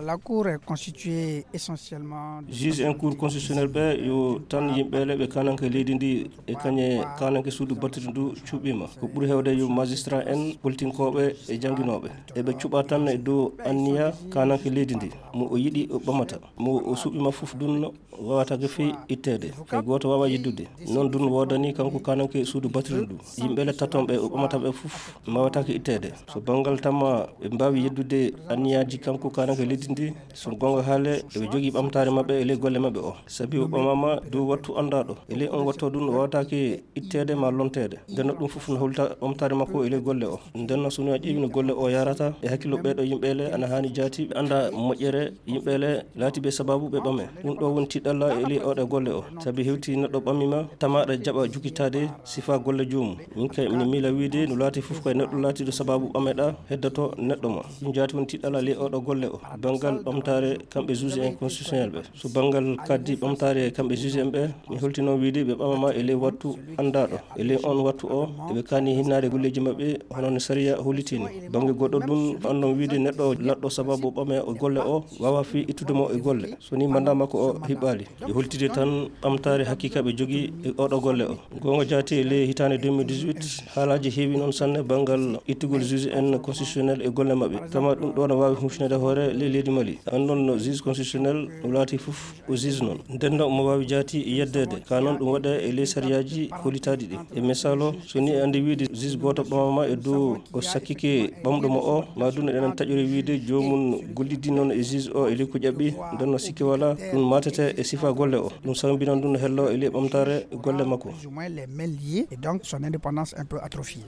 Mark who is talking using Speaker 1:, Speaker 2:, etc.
Speaker 1: La Cour est constituée essentiellement
Speaker 2: juge en cour constitutionnel ɓe yo tan yimɓele ɓe kananke leydi ndi e kañe kananke suudu battude ndu cuɓima ko ɓuuri hewde yo magistrat en politinkoɓe e jangguinoɓe eɓe cuɓa tan e dow anniya kananke leydi ndi mo o yiiɗi o ɓamata mo o suɓima foof dunno wawata fi ittede kay goto wawa yiddude non dun wodani kanko kananke suudu battude ndu yimɓele tatonɓe o ɓamataɓe foof mawatake ittede so banggal tamma ɓe mbawi yeddude anniyaji kanko kananke leydi ndi so gonga haale eɓe jogui ɓamtare mabɓe e ley golle mabɓe o saabi o ɓamama dow wattu andaɗo e ley on watto ɗum wawatake ittede ma lontede ndenno ɗum foof no holta ɓamtare makko e ley golle o ndenno sono a ƴeewi no golle o yarata e hakkillo ɓeɗo yimɓele ana hani jaati ɓe anda moƴƴere yimɓele laatiɓe sababu ɓe ɓame ɗum ɗo woni tiɗɗalla e ley oɗe golle o saabi hewti neɗɗo ɓamima tamaɗa jaɓa jukkitade sifa golle jomum min kay mine miila wiide no laati foof koye neɗɗo laatiɗo sababu ɓameɗa heddoto neɗɗo ma ɗum jaati woni tiɗɗalla ley oɗo golle o banggal ɓamtare kamɓe juge en constitutionnel ɓe so banggal kaddi ɓamtare kamɓe juge en ɓe mi holtino wiide ɓe ɓamama e ley wattu andaɗo e ley on wattu o eɓe kani hinnade golleji mabɓe hono no sariya hollitini banggue goɗɗo ɗum andon wiide neɗɗo laɗɗo sababu ɓame o golle o wawa fi ittudemo e golle so ni manda makko o hiɓɓali e holtide tan ɓamtare hakkika ɓe jogui e oɗo golle o gonga jaati e ley hitande 2018 haalaji heewi noon sanne banggal ittugol juge en constitutionnel e golle mabɓe tama ɗum ɗo no wawi humfinede hoore ley leydi Mali andon no juge constitutionnel no laati foof o juge noon ndenno mo wawi jaati yeddede ka noon ɗum waɗa e ley sariyaji hollitaɗi ɗi e misal o so ni andi wiide juge goto ɓamama e dow o sakkike ɓamɗomo o ma ɗum enen taƴori wiide jomum gollidi noon e juge o e ley ko ƴaɓɓi ndenno sikki wala ɗum matete e sifa golle o ɗum sambinan ɗum no hello e ley ɓamtare golle makko
Speaker 1: les mains liées et donc son indépendance un peu atrophiée.